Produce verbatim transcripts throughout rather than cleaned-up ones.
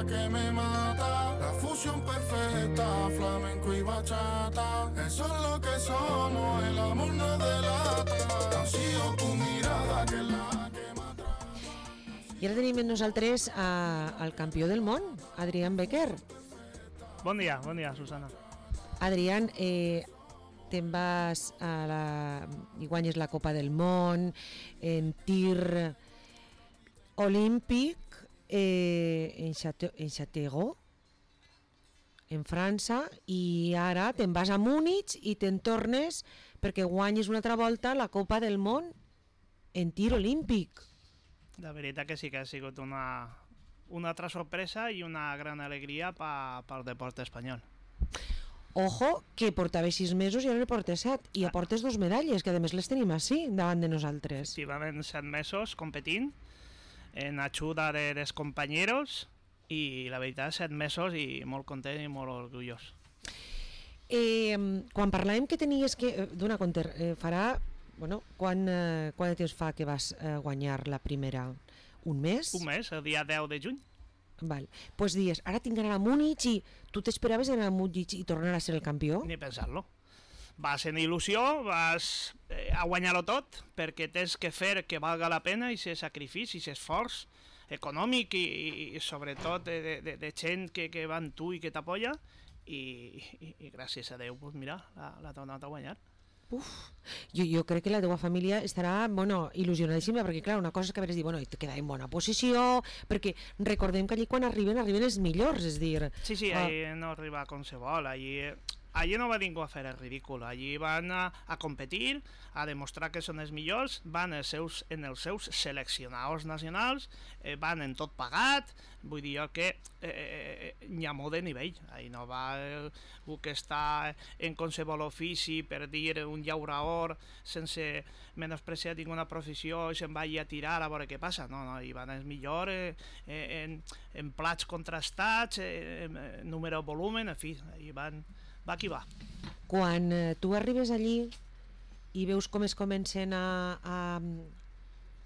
que me mata. La fusión perfecta, flamenco y bachata. Eso es lo que somos, el amor nos delata. Ha sido tu mirada que es la que m'atrapa. I ara tenim amb nosaltres a, al campió del món, Adrián Becker. Bon dia, bon dia, Susana. Adrián, eh, te'n vas a la, i guanyes la Copa del Món en tir olímpic eh, en, Chate, en Châteauroux, en França, i ara te'n vas a Múnich i te'n tornes perquè guanyes una altra volta la Copa del Món en tir olímpic. La veritat que sí que ha sigut una, una altra sorpresa i una gran alegria pa, pel deport espanyol. Ojo, que portava sis mesos i ara ne portes set, i aportes dos medalles, que a més les tenim així, davant de nosaltres. Efectivament, set mesos competint en ajuda de, dels companyeros, i la veritat, set mesos i molt content i molt orgullós. Eh, quan parlàvem que tenies que... Dona compte, eh, farà... Bueno, quan, eh, quan de temps fa que vas eh, guanyar la primera? Un mes? Un mes, el dia deu de juny. Val. Pues dies, ara tinc d'anar a Múnich i tu t'esperaves anar a Múnich i tornar a ser el campió? Ni pensar-lo. Vas en il·lusió, vas eh, a guanyar-ho tot, perquè tens que fer que valga la pena i ser sacrifici, i ser esforç econòmic i, i, i sobretot de, de, de gent que, que va amb tu i que t'apoya, i, i, i gràcies a Déu, pues mira, l'ha tornat a guanyar. Uf, jo, jo crec que la teva família estarà, bueno, il·lusionadíssima, perquè clar, una cosa és que haveres dit, bueno, i te queda en bona posició, perquè recordem que allí quan arriben, arriben els millors, és dir... Sí, sí, uh, allí no arriba com se vol, allí... Allí no va ningú a fer el ridícul, allí van a, a competir, a demostrar que són els millors, van els seus, en els seus seleccionadors nacionals, eh, van en tot pagat, vull dir que eh, n'hi ha molt de nivell, allí no va algú que està en qualsevol ofici, per dir un llaurador, sense menospreciar ninguna professió, i se'n va a tirar a veure què passa, no, no, hi van els millors eh, en, en plats contrastats, eh, en número volumen, en fi, allí van... va qui va. Quan eh, tu arribes allí i veus com es comencen a... a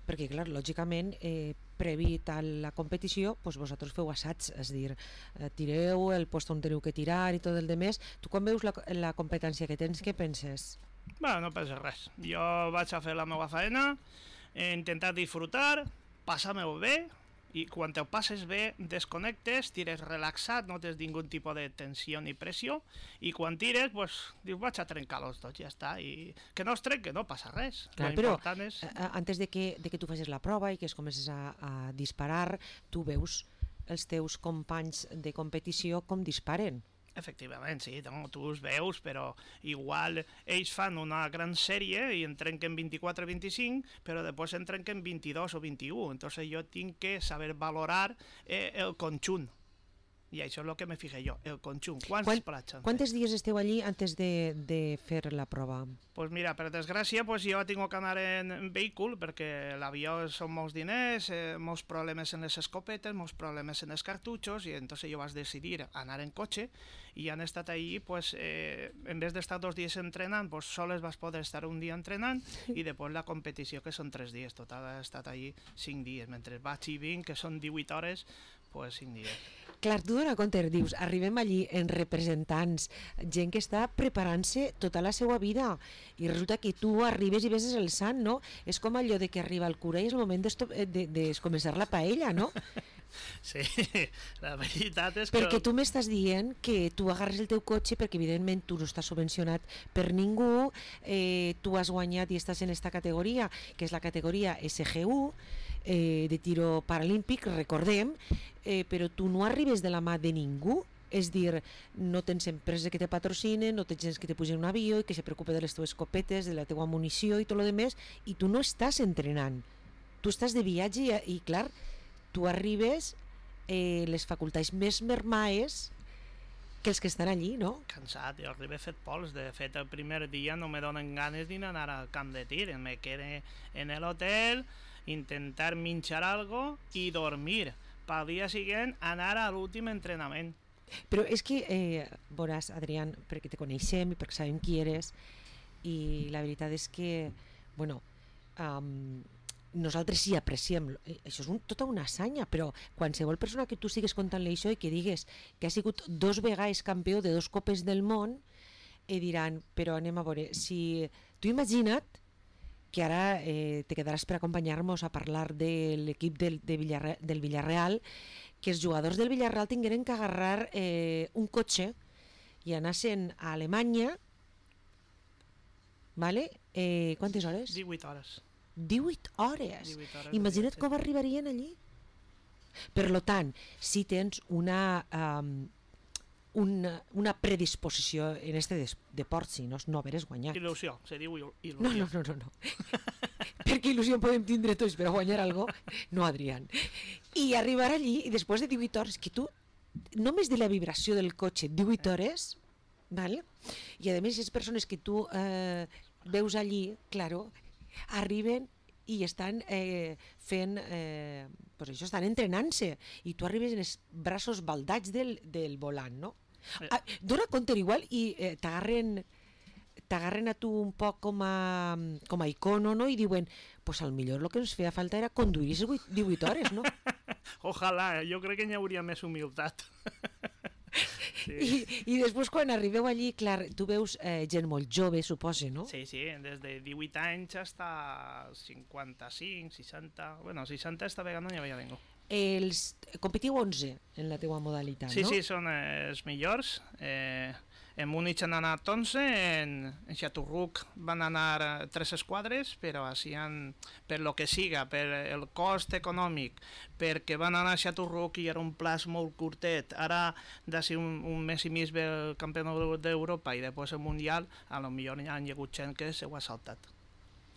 perquè, clar, lògicament, eh, previ a la competició, doncs vosaltres feu assaigs, és dir, eh, tireu el post on teniu que tirar i tot el demés. Tu quan veus la, la competència que tens, què penses? Bueno, no penses res. Jo vaig a fer la meva feina, he intentat disfrutar, passar-me-ho bé, i quan te ho passes bé, desconnectes, tires relaxat, no tens ningú tipus de tensió ni pressió, i quan tires, pues, dius, vaig a trencar-los tots, ja està, i que no es trenquen, no passa res. Clar, però és... antes de que, de que tu facis la prova i que es comences a, a disparar, tu veus els teus companys de competició com disparen. Efectivament, sí, no, tu els veus, però igual ells fan una gran sèrie i en trenquen vint-i-quatre vint-i-cinc, però després en trenquen vint-i-dos o vint-i-u, entonces jo tinc que saber valorar eh, el conjunt. I això és el que me fijé jo, el conjunt. Quants Quan, plats han Quantes dies esteu allí antes de, de fer la prova? Pues mira, per desgràcia, pues jo tinc que anar en, en vehícul, perquè l'avió són molts diners, eh, molts problemes en les escopetes, molts problemes en els cartutxos, i entonces jo vaig decidir anar en cotxe, i han estat allí, pues, eh, en vez d'estar dos dies entrenant, pues soles vas poder estar un dia entrenant, i després la competició, que són tres dies, total ha estat allí cinc dies, mentre vaig i vinc, que són divuit hores, pues cinc dies. Clar, tu dona compte, dius, arribem allí en representants, gent que està preparant-se tota la seva vida, i resulta que tu arribes i ves el sant, no? És com allò de que arriba el cura i és el moment de, de, de començar la paella, no? Sí, la veritat és que... Perquè tu m'estàs dient que tu agarres el teu cotxe, perquè evidentment tu no estàs subvencionat per ningú, eh, tu has guanyat i estàs en esta categoria, que és la categoria S G U, eh, de tiro paralímpic, recordem, eh, però tu no arribes de la mà de ningú, és dir, no tens empreses que te patrocinen, no tens gens que te pugen un avió i que se preocupe de les teves escopetes, de la teua munició i tot el demés, i tu no estàs entrenant, tu estàs de viatge i, i clar, tu arribes eh, les facultats més mermaes que els que estan allí, no? Cansat, jo arribé fet pols, de fet el primer dia no me donen ganes d'anar al camp de tir, me quedé en l'hotel, intentar menjar algo i dormir, pel dia següent anar a l'últim entrenament. Però és que, eh, veuràs, Adrián, perquè te coneixem i perquè sabem qui eres, i la veritat és que, bueno, um, nosaltres sí apreciem, això és un, tota una assanya, però qualsevol persona que tu sigues contant-li això i que digues que ha sigut dos vegades campió de dos copes del món, i diran, però anem a veure, si tu imagina't que ara eh, te quedaràs per acompanyar-nos a parlar de l'equip del, de Villarre, del Villarreal, que els jugadors del Villarreal tingueren que agarrar eh, un cotxe i anassen a Alemanya, vale? Eh, quantes hores? divuit hores. divuit hores. divuit hores Imagina't sí. com arribarien allí. Per lo tant, si tens una, um, una, una predisposició en este des, deport, si no, no haveres guanyat. Il·lusió, se diu il·lusió. No, no, no, no. no. Perquè il·lusió en podem tindre tots, però guanyar algo, no, Adrián. I arribar allí, i després de divuit hores, que tu, només de la vibració del cotxe, divuit hores, ¿vale? I a més, les persones que tu eh, veus allí, claro, arriben i estan eh, fent, eh, pues això, estan entrenant-se, i tu arribes en els braços baldats del, del volant, no? Ah, dona compte igual i eh, t'agarren t'agarren a tu un poc com a, com a icono, no? I diuen, pues al millor el que ens feia falta era conduir divuit hores, no? Ojalà, jo crec que n'hi hauria més humilitat. Sí. I, I després quan arribeu allí, clar, tu veus eh, gent molt jove, suposa, no? Sí, sí, des de divuit anys fins a cinquanta-cinc, seixanta... Bueno, seixanta esta vegada no hi havia ningú. Els, competiu onze en la teua modalitat, sí, no? Sí, sí, són eh, els millors. Eh, en Múnich han anat onze, en, en Xaturruc van anar eh, tres esquadres, però així han, per lo que siga, per el cost econòmic, perquè van anar a Xaturruc i era un plaç molt curtet. Ara, d'ací un, un mes i mig ve el campionat d'Europa i després el Mundial, a lo millor hi ha hagut gent que se ho ha saltat.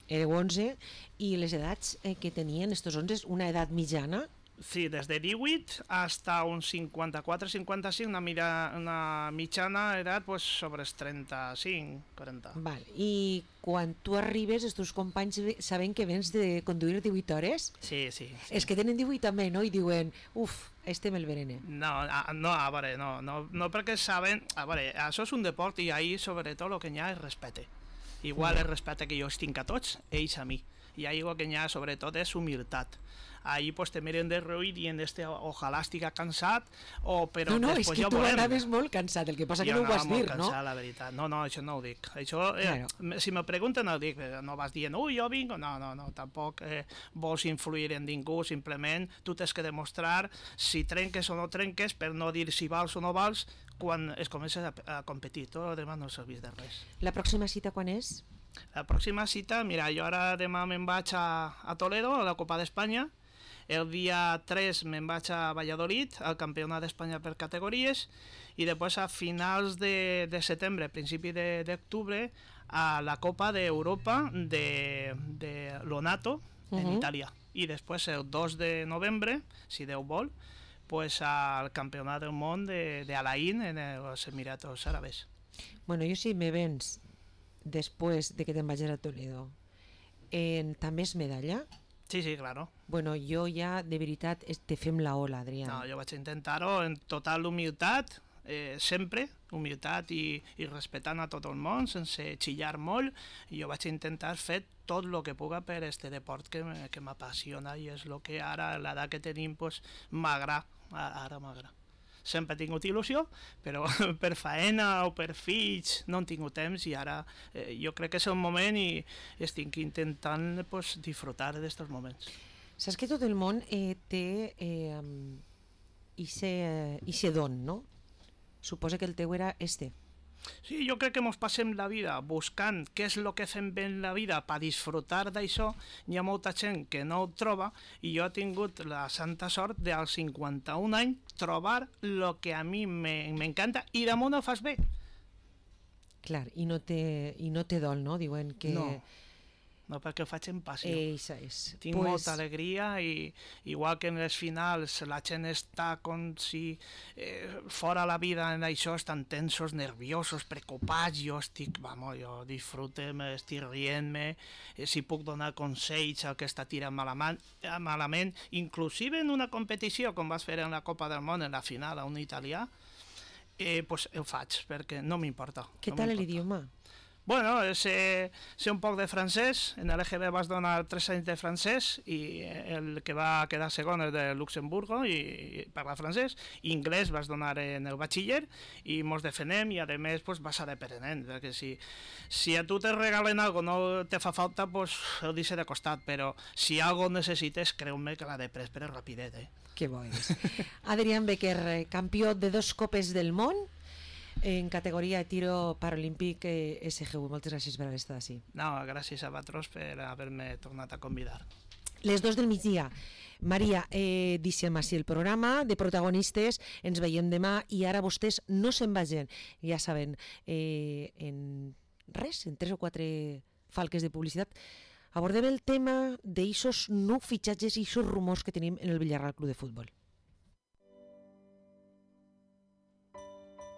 Éreu onze, i les edats eh, que tenien estos onze, una edat mitjana? Sí, des de divuit hasta uns cinquanta-quatre cinquanta-cinc, una, mira, una mitjana edat pues, sobre els trenta-cinc quaranta. Val. I quan tu arribes, els teus companys saben que vens de conduir divuit hores? Sí, sí. sí. Els que tenen divuit també, no? I diuen, uf, este me'l verene. No, a, no, a veure, no, no, no perquè saben... A veure, això és un deport i ahir sobretot el que hi ha és respecte. Igual el respecte que jo els tinc a tots, ells a mi. I ahir el que hi ha sobretot és humilitat. Ahí pues te miren de reoir dient este ojalà estiga cansat o però no, no, després ja ho veurem. No, no, és que tu veurem. anaves molt cansat, el que passa que jo no ho has dit, cansat, no? La veritat. No, no, això no ho dic. Això, eh, claro. Si me pregunten no ho dic, no vas dient, ui, jo vinc, no, no, no, tampoc eh, vols influir en ningú, simplement tu tens que demostrar si trenques o no trenques per no dir si vals o no vals quan es comences a, a competir, tot el demà no serveix de res. La pròxima cita quan és? La pròxima cita, mira, jo ara demà me'n vaig a, a Toledo, a la Copa d'Espanya. El dia tres me'n vaig a Valladolid, al Campionat d'Espanya per categories, i després a finals de, de setembre, principi d'octubre, a la Copa d'Europa de, de Lonato, uh-huh. en Itàlia. I després el dos de novembre, si Déu vol, pues al Campionat del Món d'Alain en els Emiratos Àrabes. Bueno, jo si me vens després de que te'n vagis a Toledo, en, també és medalla? Sí, sí, claro. Bueno, jo ja, de veritat, te fem la ola, Adrián. No, jo vaig intentar-ho en total humilitat, eh, sempre, humilitat i, i respectant a tot el món, sense xillar molt, i jo vaig intentar fer tot el que puga per este deport que, que m'apassiona i és el que ara, a l'edat que tenim, pues, m'agrada, ara m'agrada. Sempre he tingut il·lusió, però per faena o per fills no he tingut temps i ara eh, jo crec que és el moment i estic intentant pues, disfrutar d'aquests moments. Saps que tot el món eh, té eh, ixe don, no? Suposa que el teu era este. Sí, jo crec que ens passem la vida buscant què és el que fem bé en la vida per disfrutar d'això. Hi ha molta gent que no ho troba i jo he tingut la santa sort dels cinquanta-un anys trobar el que a mi m'encanta i damunt ho fas bé. Clar, i no té, i no té dol, no? Diuen que... No, no perquè ho faig en passió. Eixa és. Tinc pues... molta alegria i igual que en les finals la gent està com si eh, fora la vida en això, estan tensos, nerviosos, preocupats, jo estic, vamos, jo disfrute-me, estic rient-me, eh, si puc donar consells al que està tirant malament, malament, inclusive en una competició com vas fer en la Copa del Món, en la final a un italià, eh, pues ho faig perquè no m'importa. Què no tal l'idioma? Bueno, sé, sé un poc de francès, en l'E G B vas donar tres anys de francès i el que va quedar segon és de Luxemburgo i, i parla francès, i anglès vas donar en el batxiller i mos defenem i a més pues, vas a dependent, perquè si, si a tu te regalen algo no te fa falta, pues ho deixe de costat, però si algo necessites, creu-me que la de pres per rapidet, eh? Que bo és. Adrián Becker, campió de dos copes del món en categoria de tiro paralímpic S G U. Moltes gràcies per haver estat així. No, gràcies a vosaltres per haver-me tornat a convidar. Les dos del migdia. Maria, eh, deixem així el programa de protagonistes, ens veiem demà i ara vostès no se'n vagin, ja saben, eh, en res, en tres o quatre falques de publicitat, abordem el tema d'eixos no fitxatges i eixos rumors que tenim en el Villarreal Club de Futbol.